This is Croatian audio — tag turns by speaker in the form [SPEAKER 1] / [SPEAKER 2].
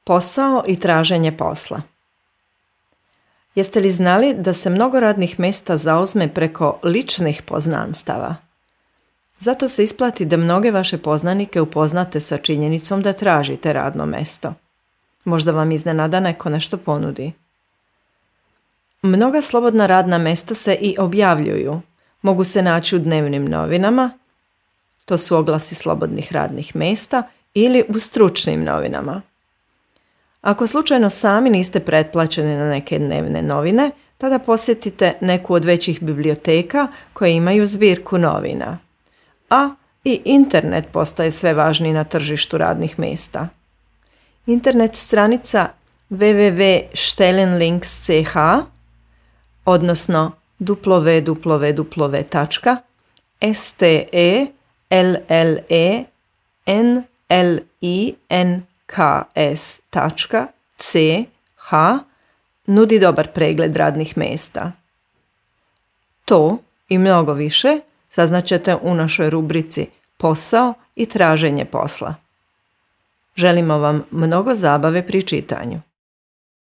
[SPEAKER 1] Posao i traženje posla. Jeste li znali da se mnogo radnih mjesta zauzme preko ličnih poznanstava? Zato se isplati da mnoge vaše poznanike upoznate sa činjenicom da tražite radno mjesto. Možda vam iznenada neko nešto ponudi. Mnoga slobodna radna mjesta se i objavljuju. Mogu se naći u dnevnim novinama, to su oglasi slobodnih radnih mjesta, ili u stručnim novinama. Ako slučajno sami niste pretplaćeni na neke dnevne novine, tada posjetite neku od većih biblioteka koje imaju zbirku novina. A i internet postaje sve važniji na tržištu radnih mjesta. Internet stranica www.stellenlinks.ch odnosno www.stellenlinks.ch nudi dobar pregled radnih mjesta. To i mnogo više saznaćete u našoj rubrici Posao i traženje posla. Želimo vam mnogo zabave pri čitanju.